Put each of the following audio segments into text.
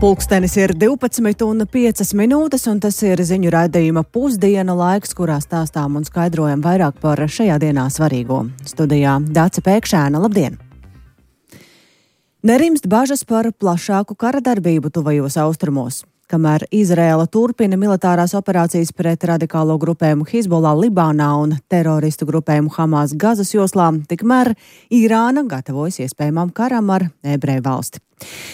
Pulkstenis ir 12:05, un tas ir ziņu raidījuma pusdiena laiks, kurā stāstām un skaidrojam vairāk par šajā dienā svarīgo. Studijā Dāce Pēkšēna, labdien! Nerimst bažas par plašāku kara darbību tuvajos austrumos. Kamēr Izraēla turpina militārās operācijas pret radikālo grupējumu Hizbollah Libānā un teroristu grupējumu Hamas Gazas joslā, tikmēr Irāna gatavojas iespējamam karam ar Ebreju valsti.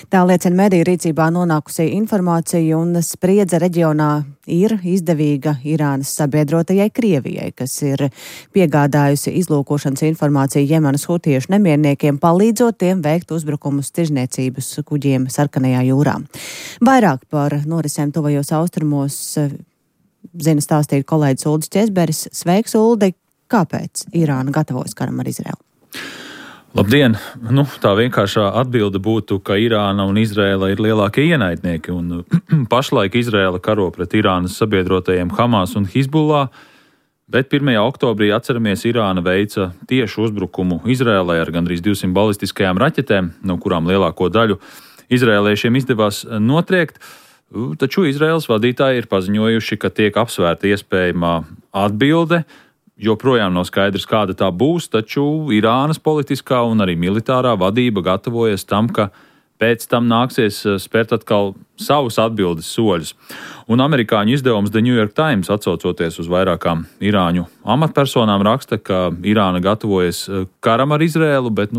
Tā liecina mediju rīcībā nonākusi informācija, un spriedze reģionā ir izdevīga Irānas sabiedrotajai Krievijai, kas ir piegādājusi izlūkošanas informāciju Jemenas hutiešu nemierniekiem, palīdzot tiem veikt uzbrukumus tirzniecības kuģiem Sarkanajā jūrā. Vairāk par norisēm tuvajos austrumos zina stāstīt kolēģis Uldis Česberis. Sveiks, Uldi! Kāpēc Irāna gatavojas karam ar Izraelu? Labdien! Tā vienkāršā atbilde būtu, ka Irāna un Izraēla ir lielākie ienaidnieki, un pašlaik Izraēla karo pret Irānas sabiedrotajiem Hamas un Hizbollah, bet 1. oktobrī, atceramies, Irāna veica tiešu uzbrukumu Izraēlai ar gandrīz 200 balistiskajām raķetēm, no kurām lielāko daļu izraēliešiem izdevās notriekt, taču Izraēlas vadītāji ir paziņojuši, ka tiek apsvērta iespējamā atbilde. Joprojām nav skaidrs, kāda tā būs, taču Irānas politiskā un arī militārā vadība gatavojas tam, ka pēc tam nāksies spērt atkal savus atbildes soļus. Un amerikāņu izdevums The New York Times, atsaucoties uz vairākām irāņu amatpersonām, raksta, ka Irāna gatavojas karam ar Izraēlu, bet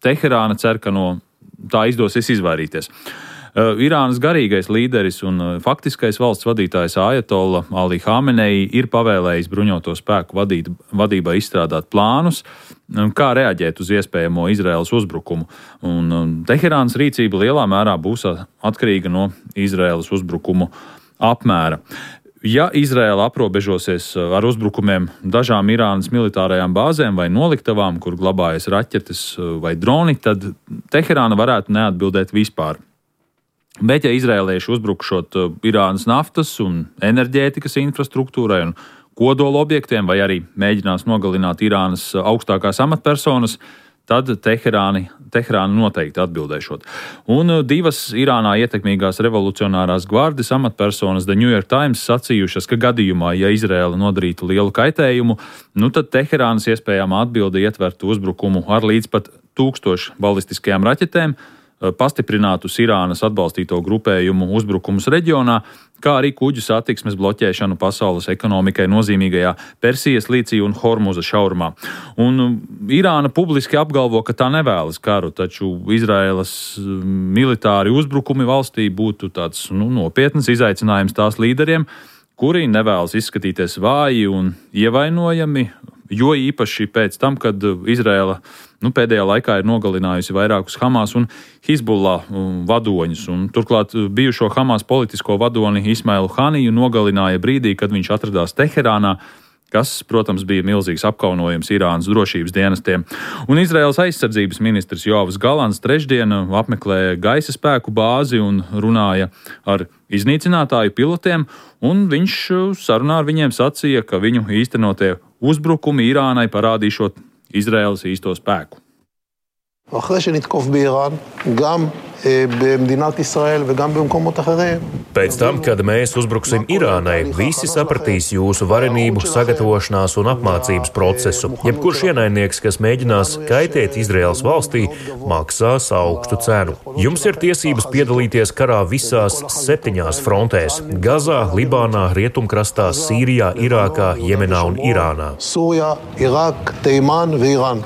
Teherāna cer, ka no tā izdosies izvairīties. Irānas garīgais līderis un faktiskais valsts vadītājs Ajatolla Ali Hamenei ir pavēlējis bruņoto spēku vadībai izstrādāt plānus, kā reaģēt uz iespējamo Izraēlas uzbrukumu. Un Teherānas rīcība lielā mērā būs atkarīga no Izraēlas uzbrukumu apmēra. Ja Izraēla aprobežosies ar uzbrukumiem dažām Irānas militārajām bāzēm vai noliktavām, kur glabājas raķetes vai droni, tad Teherāna varētu neatbildēt vispār. Bet, ja izraēlieši uzbrukšot Irānas naftas un enerģētikas infrastruktūrai un kodola objektiem, vai arī mēģinās nogalināt Irānas augstākās amatpersonas, tad Teherāna noteikti atbildēšot. Un divas Irānā ietekmīgās revolucionārās gvardes amatpersonas The New York Times sacījušas, ka gadījumā, ja Izraēla nodarītu lielu kaitējumu, tad Teherānas iespējamā atbilde ietvertu uzbrukumu ar līdz pat 1000 balistiskajām raķetēm, pastiprinātus Irānas atbalstīto grupējumu uzbrukumus reģionā, kā arī kuģu satiksmes bloķēšanu pasaules ekonomikai nozīmīgajā Persijas līcī un Hormuza šaurumā. Un Irāna publiski apgalvo, ka tā nevēlas karu, taču Izraēlas militāri uzbrukumi valstī būtu tāds nopietns izaicinājums tās līderiem, kuri nevēlas izskatīties vāji un ievainojami, jo īpaši pēc tam, kad Izraēla pēdējā laikā ir nogalinājusi vairākus Hamas un Hizbollah vadoņus. Un turklāt bijušo Hamas politisko vadoni Ismailu Haniju nogalināja brīdī, kad viņš atradās Teherānā, kas, protams, bija milzīgs apkaunojums Irānas drošības dienestiem. Un Izraēlas aizsardzības ministrs Joavs Galants trešdien apmeklēja gaisa spēku bāzi un runāja ar iznīcinātāju pilotiem, un viņš sarunā ar viņiem sacīja, ka viņu īstenotie uzbrukumi Irānai parādīšot Izraēlas īsto spēku. אחרי שנתקוף באיראן, גם במדינת ישראל וגם במקומות אחרים. Pēc tam, kad mēs uzbruksim Irānai, visi sapratīs jūsu varenību, sagatavošanās un apmācības procesu. Jebkurš ienaidnieks, kas mēģinās kaitēt Izraēlas valstī, maksās augstu cenu. Jums ir tiesības piedalīties karā visās 7 frontēs - Gazā, Libānā, Rietumkrastā, Sīrijā, Irākā, Jemenā un Irānā. סוריה, עיראק, תימן ואיראן.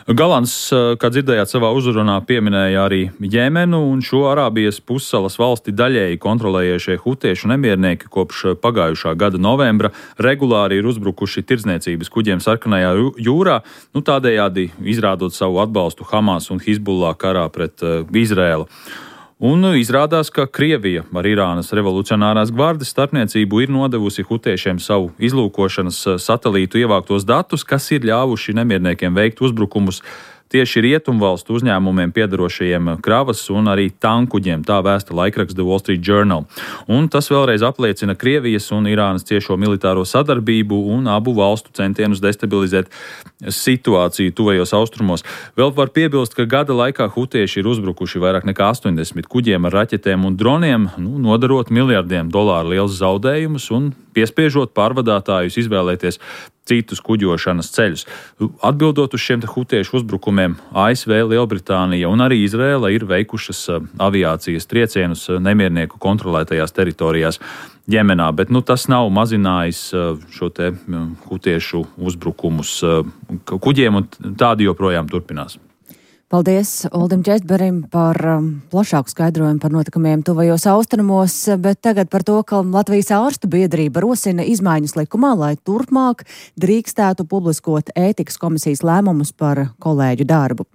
Galants, kā dzirdējāt savā uzrunā, pieminēja arī Jemenu, un šo Arābijas pussalas valsti daļēji kontrolējušie hutiešu nemiernieki kopš pagājušā gada novembra regulāri ir uzbrukuši tirdzniecības kuģiem Sarkanajā jūrā, tādējādi izrādot savu atbalstu Hamas un Hizbollah karā pret Izraēlu. Un izrādās, ka Krievija ar Irānas revolucionārās gvardes starpniecību ir nodevusi hutiešiem savu izlūkošanas satelītu ievāktos datus, kas ir ļāvuši nemierniekiem veikt uzbrukumus tieši rietumvalstu uzņēmumiem piedarošajiem kravas un arī tankuģiem, tā vēsta laikraksts The Wall Street Journal. Un tas vēlreiz apliecina Krievijas un Irānas ciešo militāro sadarbību un abu valstu centienus destabilizēt situāciju tuvajos austrumos. Vēl var piebilst, ka gada laikā hutieši ir uzbrukuši vairāk nekā 80 kuģiem ar raķetēm un droniem, nodarot miljardiem dolāru liels zaudējumus un piespiežot pārvadātājus izvēlēties citus kuģošanas ceļus. Atbildot uz šiem hutiešu uzbrukumiem, ASV, Lielbritānija un arī Izraela ir veikušas aviācijas triecienus nemiernieku kontrolētajās teritorijās Jemenā, bet tas nav mazinājis šo te hutiešu uzbrukumus kuģiem, un tādi joprojām turpinās. Paldies Uldim Čestberim par plašāku skaidrojumu par notikumiem tuvajos austrumos, bet tagad par to, ka Latvijas ārstu biedrība rosina izmaiņas likumā, lai turpmāk drīkstētu publiskot ētikas komisijas lēmumus par kolēģu darbu.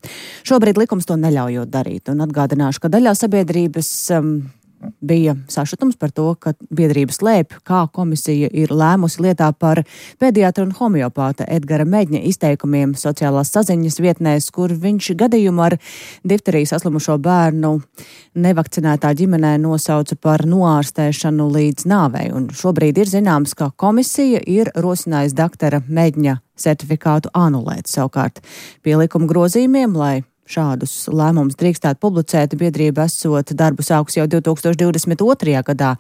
Šobrīd likums to neļaujot darīt, un atgādināšu, ka daļā sabiedrības bija sašutums par to, ka biedrība slēp, kā komisija ir lēmusi lietā par pediatra un homeopāta Edgara Meģņa izteikumiem sociālās saziņas vietnēs, kur viņš gadījumu ar difteriju saslimušo bērnu nevakcinētā ģimenē nosauca par noārstēšanu līdz nāvei. Un šobrīd ir zināms, ka komisija ir rosinājusi doktora Meģņa certifikātu anulēt. Savukārt pie likuma grozījumiem, lai šādus lēmumus drīkstētu publicēt, biedrība esot darbu sākus jau 2022. gadā.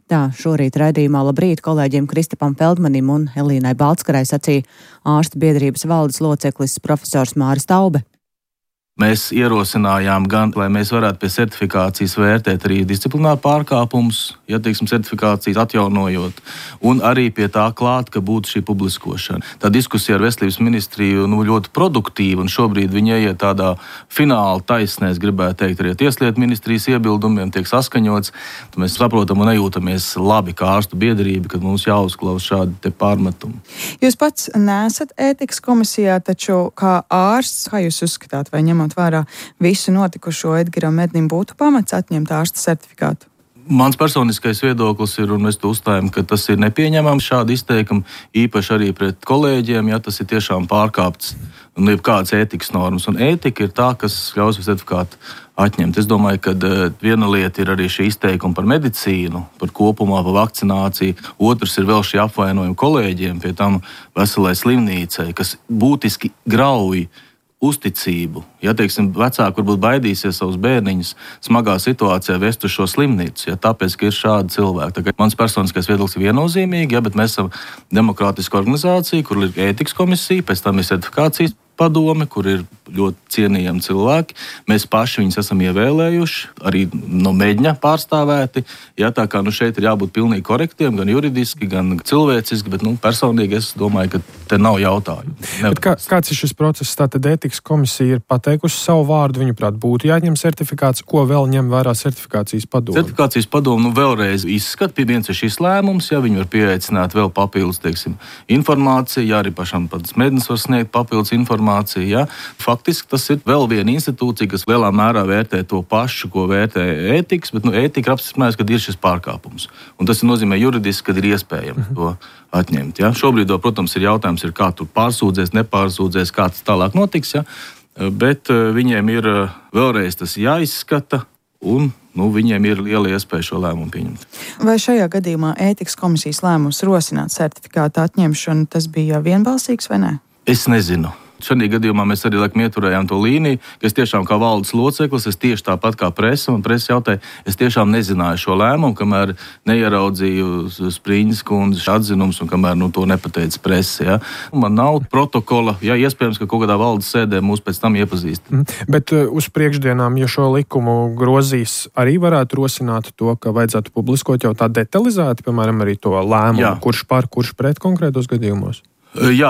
Tā šorīt raidījumā Labrīt kolēģiem Kristapam Feldmanim un Elīnai Baltskarai sacīja ārstu biedrības valdes loceklis profesors Māris Taube. Mēs ierosinājām gan, lai mēs varētu pie certifikācijas vērtēt arī disciplināru pārkāpumus, certifikācijas atjaunojot, un arī pie tā klāt, ka būtu šī publiskošana. Tā diskusija ar Veselības ministriju ļoti produktīva, un šobrīd viņi ieiet tādā fināla taisnē, es gribētu teikt, arī Tieslietu ministrijas iebildumiem tiek saskaņots. Mēs saprotam un nejūtamies labi kā ārstu biedrība, kad mums jāuzklaus šādi te pārmetumi. Jūs pats neesat ētikas komisijā, taču kā ārsts, kā jūs uzskatāt, vai ņemot vērā visu notikušo Edgaram Meģņam būtu pamats atņemt ārsta certifikātu? Mans personiskais viedoklis ir, un mēs to uzstājam, ka tas ir nepieņemams šādi izteikumi, īpaši arī pret kolēģiem, ja tas ir tiešām pārkāpts jebkādas ētikas normas. Un ētika ir tā, kas ļaus certifikātu atņemt. Es domāju, ka viena lieta ir arī šī izteikuma par medicīnu, par kopumā, par vakcināciju. Otrs ir vēl šī apvainojuma kolēģiem, pie tam veselai slimnīcai, kas būtiski grauj uzticību. Vecāki varbūt baidīsies savus bērniņus smagā situācijā vest uz šo slimnīcu, tāpēc, ka ir šādi cilvēki. Mans personiskais viedoklis ir viennozīmīgi, bet mēs esam demokrātiska organizācija, kur ir ētikas komisija, pēc tam ir certifikācijas padome, kur ir ļoti cienījami cilvēki. Mēs paši viņus esam ievēlējuši, arī no Meģņa pārstāvēti. Tā kā šeit ir jābūt pilnīgi korektiem, gan juridiski, gan cilvēciski, bet personīgi es domāju, ka te nav jautājumu. Kāds ir šis process? Tātad ētikas komisija ir pateikusi savu vārdu, viņuprāt būtu jāņem certifikāts, ko vēl ņem vērā certifikācijas padome? Certifikācijas padome vēlreiz izskat, viens ir šis lēmums, viņi var pieaicināt vēl papildus, informāciju, arī pašam pats Meģņs var sniegt papildus informāciju. Faktiski tas ir vēl viena institūcija, kas lielā mērā vērtē to pašu, ko vērtē ētikas, bet ētika ir apstiprinājusi, ka ir šis pārkāpums. Un tas nozīmē juridiski, ka ir iespējams to atņemt. Šobrīd, protams, ir jautājums, kā tur pārsūdzēs, nepārsūdzēs, kā tas tālāk notiks, bet viņiem ir vēlreiz tas jāizskata un viņiem ir liela iespēja šo lēmumu pieņemt. Vai šajā gadījumā ētikas komisijas lēmums rosināt certifikātu atņemšanu, tas bija vienbalsīgs vai nē? Es nezinu. Šajā gadījumā mēs arī ieturējām to līniju, ka es tiešām kā valdes loceklis, es tieši tāpat kā presa, un presa jautāja, es tiešām nezināju šo lēmumu, kamēr neieraudzīju Spriņas kundzes atzinums un kamēr to nepateica presa. Man nav protokola, iespējams, ka kaut kādā valdes sēdē mūs pēc tam iepazīst. Bet uz priekšdienām, ja šo likumu grozīs, arī varētu rosināt to, ka vajadzētu publiskot jau tā detalizēti, piemēram, arī to lēmumu, kurš par, kurš pret konkrētos gadījumos?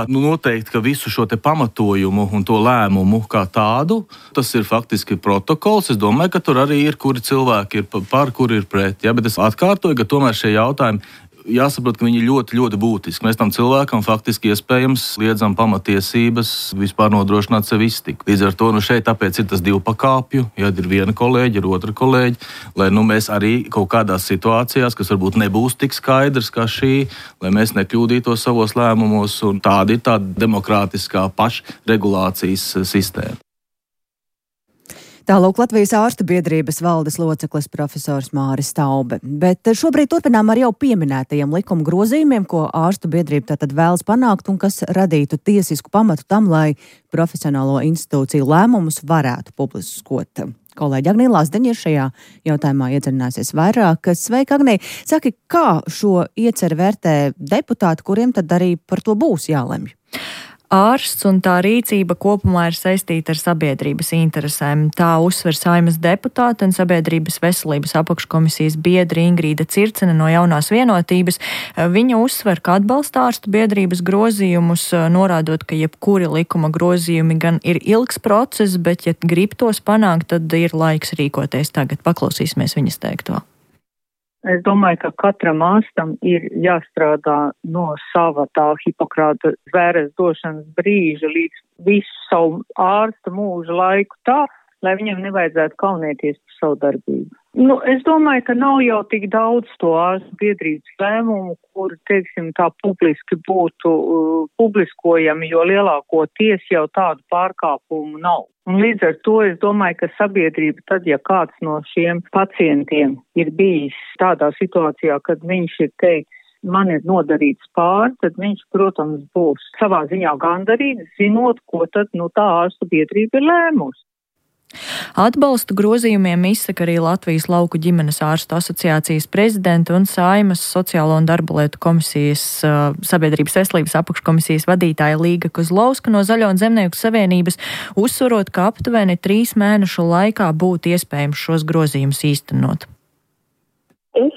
Noteikti, ka visu šo te pamatojumu un to lēmumu kā tādu, tas ir faktiski protokols. Es domāju, ka tur arī ir, kuri cilvēki ir par, kuri ir pret. Bet es atkārtoju, ka tomēr šie jautājumi jāsaprot, ka viņi ir ļoti, ļoti būtiski. Mēs tam cilvēkam faktiski iespējams liedzam pamatiesības vispār nodrošināt sev iztiku. Līdz ar to šeit tāpēc ir tas divu pakāpju, ir viena kolēģi, ir otra kolēģi, lai mēs arī kaut kādās situācijās, kas varbūt nebūs tik skaidrs kā šī, lai mēs nekļūdītos savos lēmumos, un tāda ir tāda demokrātiskā pašregulācijas sistēma. Tālāk Latvijas ārstu biedrības valdes loceklis profesors Māris Staube. Bet šobrīd turpinām ar jau pieminētajiem likuma grozījumiem, ko ārstu biedrība tātad vēlas panākt un kas radītu tiesisku pamatu tam, lai profesionālo institūciju lēmumus varētu publiskot. Kolēģi Agnija Lazdeņa ir šajā jautājumā iedziļināsies vairāk. Sveika, Agnija! Saki, kā šo ieceru vērtē deputāti, kuriem tad arī par to būs jālemj? Ārsts un tā rīcība kopumā ir saistīta ar sabiedrības interesēm. Tā uzsver Saeimas deputāte un Sabiedrības veselības apakškomisijas biedri Ingrīda Circene no Jaunās vienotības. Viņa uzsver, ka atbalsta ārstu biedrības grozījumus, norādot, ka jebkuri likuma grozījumi gan ir ilgs process, bet ja grib tos panākt, tad ir laiks rīkoties tagad. Paklausīsimies viņas teikto. Es domāju, ka katram ārstam ir jāstrādā no sava tā Hipokrāta zvēres došanas brīža līdz visu savu ārsta mūža laiku tā, lai viņam nevajadzētu kaunēties par savu darbību. Es domāju, ka nav jau tik daudz to ārstu biedrības lēmumu, kur, teiksim, tā publiski būtu publiskojami, jo lielākoties jau tādu pārkāpumu nav. Un līdz ar to es domāju, ka sabiedrība tad, ja kāds no šiem pacientiem ir bijis tādā situācijā, kad viņš ir teicis, man ir nodarīts pāri, tad viņš, protams, būs savā ziņā gandarīts, zinot, ko tad tā ārstu biedrība ir lēmusi. Atbalstu grozījumiem izsaka arī Latvijas lauku ģimenes ārstu asociācijas prezidenta un Saeimas sociālo un darba lietu komisijas Sabiedrības veselības apakškomisijas vadītāja Līga Kozlovska no Zaļo un Zemnieku savienības, uzsverot, ka aptuveni 3 mēnešu laikā būtu iespējams šos grozījumus īstenot. Es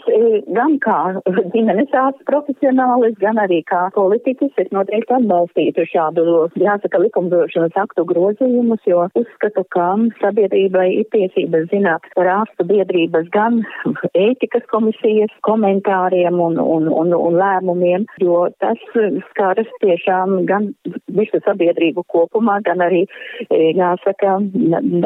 gan kā ģimenes ārsts profesionālis, gan arī kā politiķis, es noteikti atbalstītu šādu, jāsaka, likumdošanas aktu grozījumus, jo uzskatu, ka sabiedrībai ir tiesības zināt par ārstu biedrības gan ētikas komisijas komentāriem un lēmumiem, jo tas skaras tiešām gan visu sabiedrību kopumā, gan arī, jāsaka,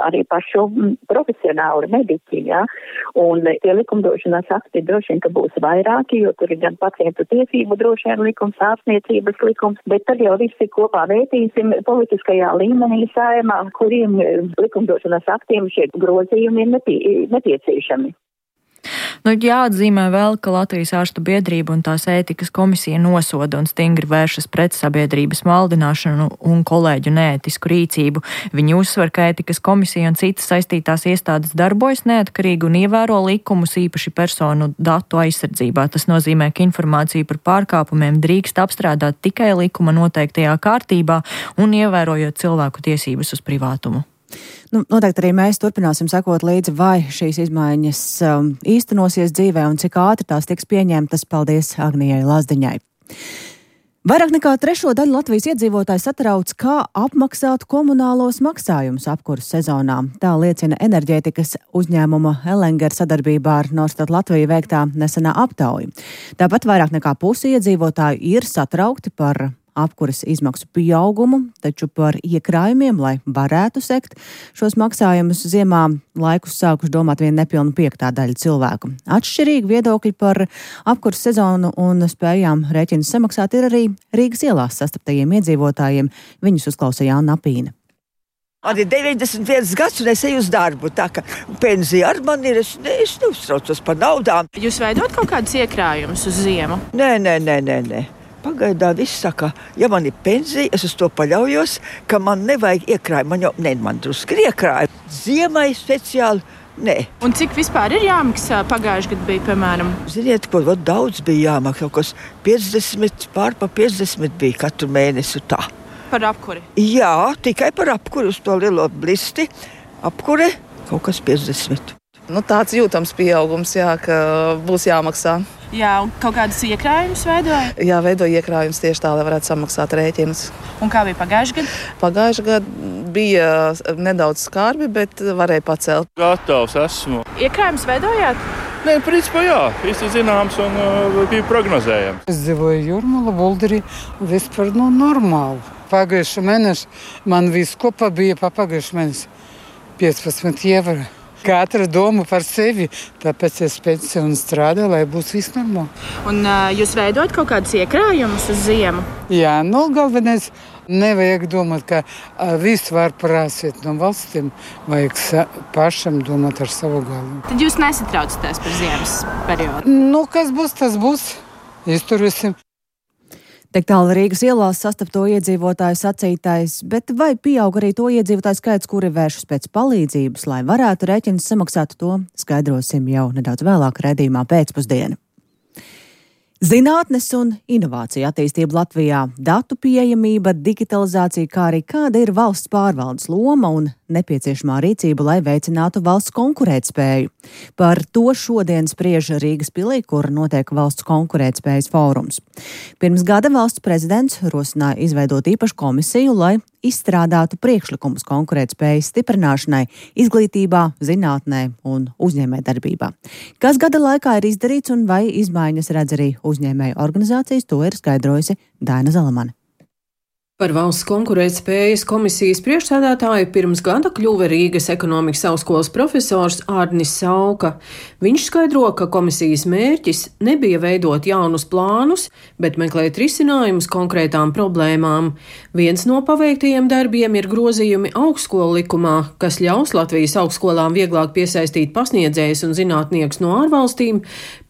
arī pašu profesionālu mediķi, ja? Un tie likumdošanas akti droši vien, ka būs vairāki, jo tur ir gan pacientu tiesību droši vien likums, ārstniecības likums, bet tad jau visi kopā vērtīsim politiskajā līmenī Saeimā, kuriem likumdošanas aktiem šie grozījumi ir nepieciešami. Jāatzīmē vēl, ka Latvijas ārstu biedrība un tās ētikas komisija nosoda un stingri vēršas pret sabiedrības maldināšanu un kolēģu neētisku rīcību. Viņi uzsver, ka ētikas komisija un citas saistītās iestādes darbojas neatkarīgi un ievēro likumus, īpaši personu datu aizsardzībā. Tas nozīmē, ka informāciju par pārkāpumiem drīkst apstrādāt tikai likuma noteiktajā kārtībā un ievērojot cilvēku tiesības uz privātumu. Noteikti arī mēs turpināsim sekot līdzi, vai šīs izmaiņas īstenosies dzīvē un cik ātri tās tiks pieņemtas. Paldies Agnijai Lazdeņai. Vairāk nekā 3/4 daļu Latvijas iedzīvotāju satrauc, kā apmaksāt komunālos maksājumus apkuras sezonā. Tā liecina enerģētikas uzņēmuma Elenger sadarbībā ar Norstat Latviju veiktā nesenā aptauja. Tāpat vairāk nekā pusi iedzīvotāju ir satraukti par apkuras izmaksu pieaugumu, taču par iekrājumiem, lai varētu sekt šos maksājumus ziemā, laikus sākuši domāt vien nepilnu 5. daļa cilvēku. Atšķirīgi viedokļi par apkuras sezonu un spējām rēķinus samaksāt ir arī Rīgas ielās sastaptajiem iedzīvotājiem. Viņus uzklausa Jāna Apīne. Man ir 91 gads un es eju uz darbu, tā ka pensija ar mani ir, es neuztraucos par naudām. Jūs veidot kaut kādus iekrājumus uz ziemu? Nē. Pagaidā viss saka, ja man ir pensija, es uz to paļaujos, ka man nevajag iekrājumu. Man drusku ir iekrājumi. Ziemai speciāli, nē. Un cik vispār ir jāmaksā? Pagājuši gadu bija, piemēram? Ziniet, ko daudz bija jāmaksā, kaut kas 50, pār pa 50 bija katru mēnesi tā. Par apkuri? Jā, tikai par apkuri uz to lielo blisti. Apkure kaut kas 50. Tāds jūtams pieaugums, jā, ka būs jāmaksā. Jā, un kaut kādus iekrājumus veidoja? Jā, veidoja iekrājumus tieši tā, lai varētu samaksāt rēķinus. Un kā bija pagājušajā gadā? Pagājušajā gadā bija nedaudz skarbi, bet varēja pacelt. Gatavs esmu. Iekrājumus veidojāt? Nē, principā jā, viss ir zināms un bija prognozējams. Es dzīvoju Jūrmala, Bulderī, vispār normāli. Pagājušā mēneša man viss kopā bija pagājušā mēneša 15 eiro. Katra doma par sevi, tāpēc es pensiju un strādāju, lai būtu viss normāli. Un jūs veidot kaut kādus iekrājumus uz ziemu? Jā, galvenais Nevajag domāt, ka visu var prasīt no valstīm, vajag pašam domāt ar savu galvu. Tad jūs nesatraucaties par ziemas periodu? Nu, kas būs, tas būs. Izturēsim. Tik tālu Rīgas ielās sastapto iedzīvotāju sacītais, bet vai pieaug arī to iedzīvotāju skaits, kuri vēršas pēc palīdzības, lai varētu rēķinus samaksāt, to skaidrosim jau nedaudz vēlāk raidījumā pēcpusdiena. Zinātnes un inovācija attīstība Latvijā, datu pieejamība, digitalizācija, kā arī kāda ir valsts pārvaldes loma un nepieciešamā rīcība, lai veicinātu valsts konkurētspēju. Par to šodien spriež Rīgas pilī, kur notiek valsts konkurētspējas fórums. Pirms gada valsts prezidents rosināja izveidot īpašu komisiju, lai izstrādātu priekšlikumus konkurētspējas stiprināšanai izglītībā, zinātnē un uzņēmējdarbībā. Kas gada laikā ir izdarīts un vai izmaiņas redz arī uzņēmēju organizācijas, to ir skaidrojusi Daina Zalamane. Par valsts konkurētspējas komisijas priekšsēdētāju pirms gada kļuva Rīgas ekonomikas augstskolas profesors Ārnis Sauka. Viņš skaidro, ka komisijas mērķis nebija veidot jaunus plānus, bet meklēt risinājumus konkrētām problēmām. Viens no paveiktajiem darbiem ir grozījumi augstskolu likumā, kas ļaus Latvijas augstskolām vieglāk piesaistīt pasniedzējus un zinātniekus no ārvalstīm,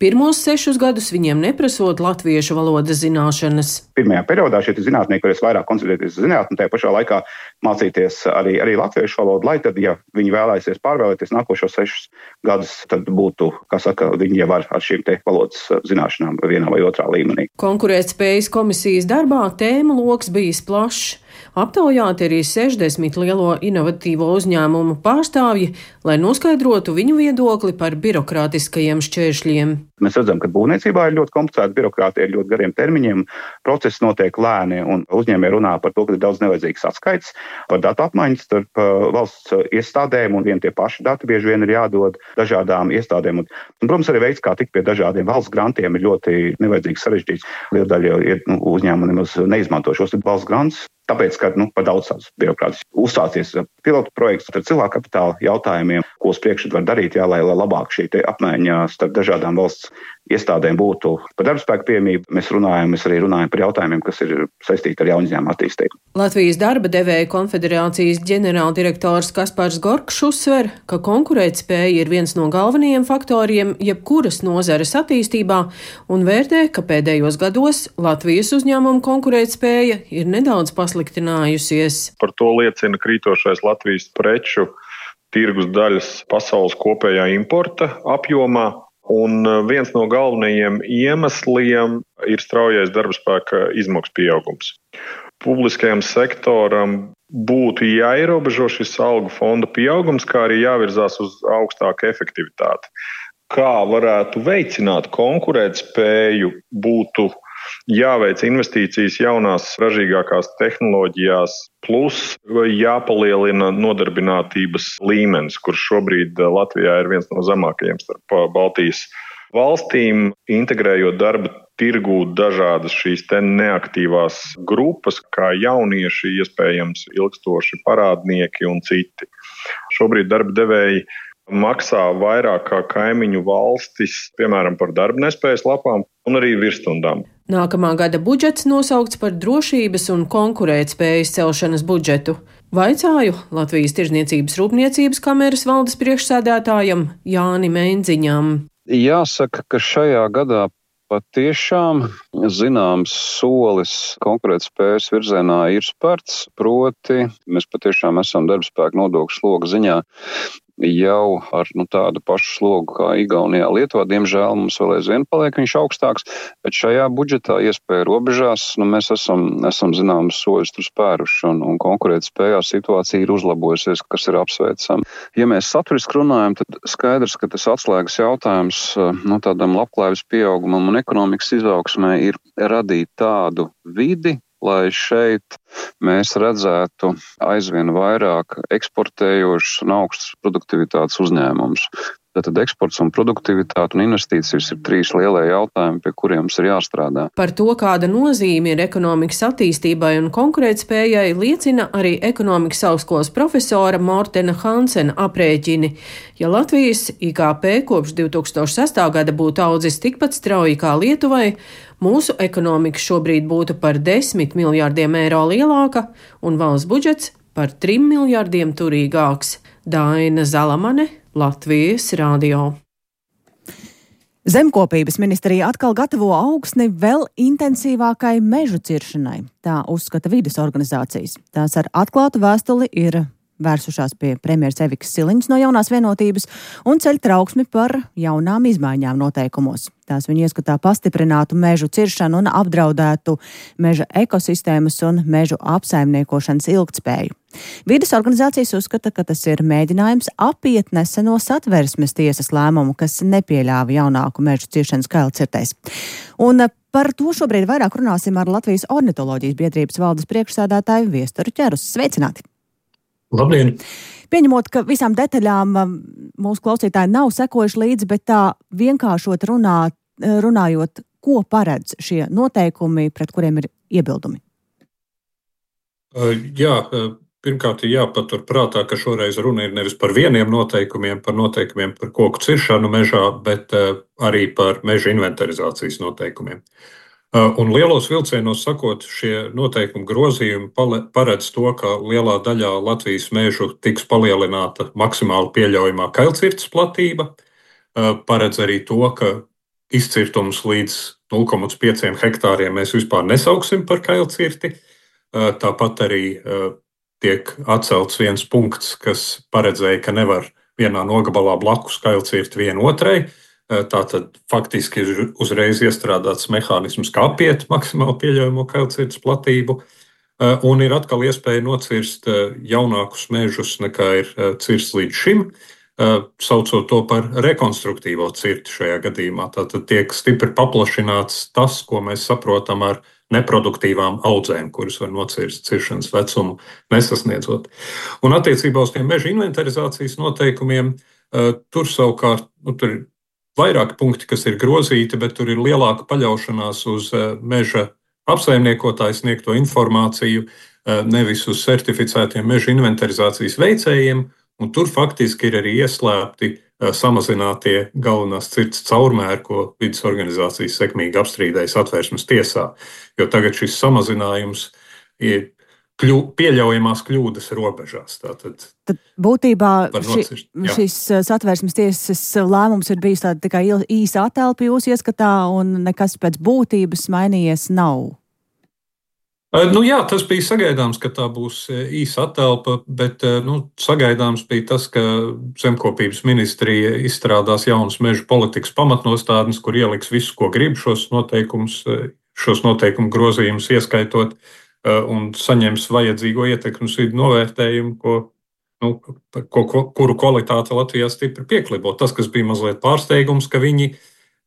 pirmos 6 gadus viņiem neprasot latviešu valodas zināšanas. Pirmajā periodā šie zinātnieki varēs vairāk koncentrēties uz zinātni un tajā pašā laikā mācīties arī latviešu valodu, lai tad, ja viņi vēlēsies pārvēlēties nākošos 6 gadus, tad būtu, kā saka, viņi jau ar šīm te valodas zināšanām vienā vai otrā līmenī. Konkurētspējas komisijas darbā tēmu loks bijis plašs. Aptaujāti arī 60 lielo inovatīvo uzņēmumu pārstāvji, lai noskaidrotu viņu viedokli par birokrātiskajiem šķēršļiem. Mēs redzam, ka būvniecībā ir ļoti komplicēta birokrātija, ir ļoti gariem termiņiem, process notiek lēni un uzņēmēji runā par to, ka ir daudz nevajadzīgas atskaites par datu apmaiņu starp valsts iestādēm un tie paši dati bieži vien ir jādod dažādām iestādēm. Un, protams, arī veids, kā tikt pie dažādiem valsts grantiem, ir ļoti nevajadzīgs sarežģīts. Liela daļa uzņēmumu nemaz neizmanto šos valsts grants. Tāpēc, ka par daudz tādas birokrātijas uzsācies pilotu projekts ar cilvēku kapitāla jautājumiem, ko uz priekšu var darīt, lai labāk šī apmaiņa starp dažādām valsts iestādēm būtu par darbspēku pieejamību. Mēs arī runājam par jautājumiem, kas ir saistīti ar jaunu uzņēmumu attīstību. Latvijas darba devēja konfederācijas ģenerāldirektors Kaspars Gorkšs uzsver, ka konkurētspēja ir viens no galvenajiem faktoriem jebkuras nozares attīstībā un vērtē, ka pēdējos gados Latvijas uzņēmumu konkurētspēja ir nedaudz pasliktinājusies. Par to liecina krītošais Latvijas preču tirgus daļas pasaules kopējā importa apjomā. Un viens no galvenajiem iemesliem ir straujais darbspēka izmaksu pieaugums. Publiskajam sektoram būtu jāierobežo šis algu fonda pieaugums, kā arī jāvirzās uz augstāku efektivitāti. Kā varētu veicināt konkurētspēju, būtu jāveic investīcijas jaunās ražīgākās tehnoloģijās, plus jāpalielina nodarbinātības līmenis, kurš šobrīd Latvijā ir viens no zemākajiem starp Baltijas valstīm, integrējot darba tirgū dažādas šīs te neaktīvās grupas, kā jaunieši, iespējams ilgstoši parādnieki un citi. Šobrīd darba devēji maksā vairāk kā kaimiņu valstis, piemēram, par darba nespējas lapām un arī virsstundām. Nākamā gada budžets nosaukts par drošības un konkurētspējas celšanas budžetu. Vaicāju Latvijas Tirdzniecības Rūpniecības kameras valdes priekšsēdētājam Jānim Endziņam. Jāsaka, ka šajā gadā patiešām zināms solis konkurētspējas virzienā ir spērts, proti mēs patiešām esam darbspēka nodokļu sloga ziņā jau ar tādu pašu slogu kā Igaunijā, Lietuvā. Diemžēl mums vēl aizvien paliek viņš augstāks, bet šajā budžetā iespēja robežās, mēs esam zināmas soļus tur spēruši un konkurētspējā situācija ir uzlabojusies, kas ir apsveicami. Ja mēs saturiski runājam, tad skaidrs, ka tas atslēgas jautājums tādam labklājības pieaugumam un ekonomikas izaugsmē ir radīt tādu vidi, lai šeit mēs redzētu aizvien vairāk eksportējošus un augstas produktivitātes uzņēmumus. Tātad eksports un produktivitāte un investīcijas ir 3 lielie jautājumi, pie kuriem mums ir jāstrādā. Par to, kāda nozīme ir ekonomikas attīstībai un konkurētspējai, liecina arī ekonomikas augstskolas profesora Mortena Hansena aprēķini. Ja Latvijas IKP kopš 2006. gada būtu audzis tikpat strauji kā Lietuvai, mūsu ekonomika šobrīd būtu par 10 miljārdiem eiro lielāka un valsts budžets par 3 miljārdiem turīgāks. Daina Zalamane, Latvijas radio. Zemkopības ministrija atkal gatavo augsni vēl intensīvākai mežu ciršanai, tā uzskata vides organizācijas. Tās ar atklātu vēstuli ir vērsušās pie premjeras Evikas Siliņas no Jaunās vienotības un ceļ trauksmi par jaunām izmaiņām noteikumos. Tās viņa ieskatā pastiprinātu mežu ciršanu un apdraudētu meža ekosistēmas un mežu apsaimniekošanas ilgtspēju. Vides organizācijas uzskata, ka tas ir mēģinājums apiet neseno Satversmes tiesas lēmumu, kas nepieļāva jaunāku mežu ciršanas kailcirtēs. Un par to šobrīd vairāk runāsim ar Latvijas ornitoloģijas biedrības valdes priekšsēdētāju Viesturu Ķerus. Sveicināti! Labdien! Pieņemot, ka visām detaļām mūsu klausītāji nav sekojuši līdzi, bet tā vienkāršot runājot, ko paredz šie noteikumi, pret kuriem ir iebildumi? Jā, pirmkārt ir jāpatur prātā, ka šoreiz runa ir nevis par vieniem noteikumiem, par koku ciršanu mežā, bet arī par meža inventarizācijas noteikumiem. Un lielos vilcienos sakot, šie noteikumu grozījumi paredz to, ka lielā daļā Latvijas mežu tiks palielināta maksimāli pieļaujamā kailcirtes platība, paredz arī to, ka izcirtums līdz 0,5 hektāriem mēs vispār nesauksim par kailcirti. Tāpat arī tiek atcelts viens punkts, kas paredzēja, ka nevar vienā nogabalā blakus kailcirt vienu otrai. Tātad faktiski ir uzreiz iestrādāts mehānisms, kā apiet maksimāli pieļaujamo kailcirtes platību, un ir atkal iespēja nocirst jaunākus mežus nekā ir cirsts līdz šim, saucot to par rekonstruktīvo cirti šajā gadījumā. Tātad tiek stipri paplašināts tas, ko mēs saprotam ar neproduktīvām audzēm, kuras var nocirst ciršanas vecumu nesasniedzot. Un attiecībā uz tiem meža inventarizācijas noteikumiem, tur savukārt, tur ir vairāki punkti, kas ir grozīti, bet tur ir lielāka paļaušanās uz meža apsaimniekotāju sniegto informāciju, nevis uz certificētiem meža inventarizācijas veicējiem, un tur faktiski ir arī ieslēpti samazinātie galvenās cirtes caurmēri, ko vides organizācijas sekmīgi apstrīdēja Satversmes tiesā, jo tagad šis samazinājums ir pieļaujamās kļūdas robežās. Tad būtībā šis Satversmes tiesas lēmums ir bijis tāda tikai īsa atelpa jūsu ieskatā un nekas pēc būtības mainījies nav? Jā, tas bija sagaidāms, ka tā būs īsa atelpa, bet sagaidāms bija tas, ka Zemkopības ministrija izstrādās jaunas meža politikas pamatnostādnes, kur ieliks visu, ko grib šos noteikumu grozījumus ieskaitot, un saņems vajadzīgo ietekmes vidu novērtējumu, kuru kvalitāte Latvijā stipri pieklibo. Tas, kas bija mazliet pārsteigums, ka viņi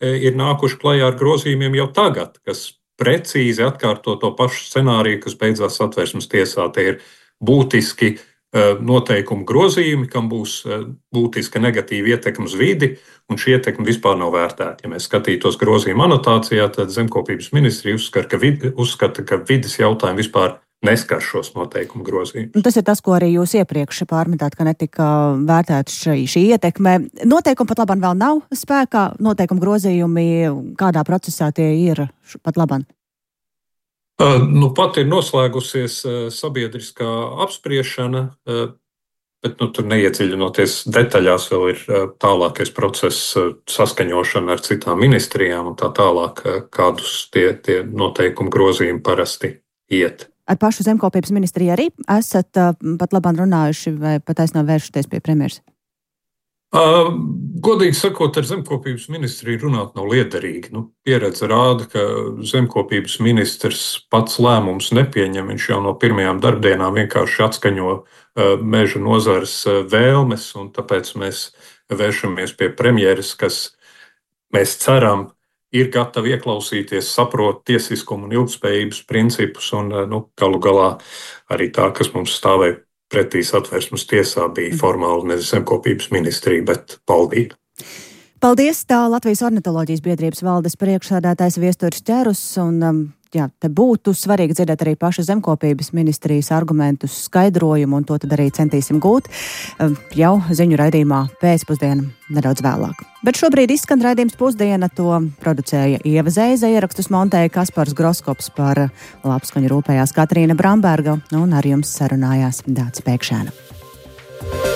ir nākuši klajā ar grozījumiem jau tagad, kas precīzi atkārto to pašu scenāriju, kas beidzās Satversmes tiesā. Tie ir būtiski noteikumu grozījumi, kam būs būtiska negatīva ietekme uz vidi, un šī ietekme vispār nav vērtēta. Ja mēs skatītos grozījuma anotācijā, tad Zemkopības ministrija uzskata, ka vides jautājumi vispār neskar šos noteikumu grozījumus. Tas ir tas, ko arī jūs iepriekš pārmetāt, ka netika vērtēta šī ietekme. Noteikumi pat labāk vēl nav spēkā, noteikumu grozījumi, kādā procesā tie ir pat labāk? Pat ir noslēgusies sabiedriskā apspriešana, bet tur neiedziļinoties detaļās, vēl ir tālākais process saskaņošana ar citām ministrijām un tā tālāk, kādus tie noteikumu grozījumi parasti iet. Ar pašu Zemkopības ministriju arī esat pat labāk runājuši vai pat aizsnāk vēršoties pie premjeras? Godīgi sakot, ar Zemkopības ministriju runāt nav liederīgi. Pieredze rāda, ka Zemkopības ministrs pats lēmums nepieņem. Viņš jau no pirmajām darbdienām vienkārši atskaņo meža nozares vēlmes, un tāpēc mēs vēršamies pie premjeras, kas, mēs ceram, ir gatavi ieklausīties, saprot tiesiskumu un ilgtspējības principus, un galu galā arī tā, kas mums stāvēja pretī Satversmes tiesā, bija formāli nevis Zemkopības ministrija, bet valdība. Paldies, tā Latvijas ornitoloģijas biedrības valdes priekšsēdētājs Viesturis Ķerus, un te būtu svarīgi dzirdēt arī paša zemkopības ministrijas argumentus, skaidrojumu, un to tad arī centīsim gūt jau ziņu raidījumā pēcpusdienu nedaudz vēlāk. Bet šobrīd izskan raidījums Pusdiena, to producēja Ieva Zeize, ierakstus montēja Kaspars Groskops, par labskaņu rūpējās Katrīna Bramberga, un ar jums sarunājās Dācis Pēkšēna.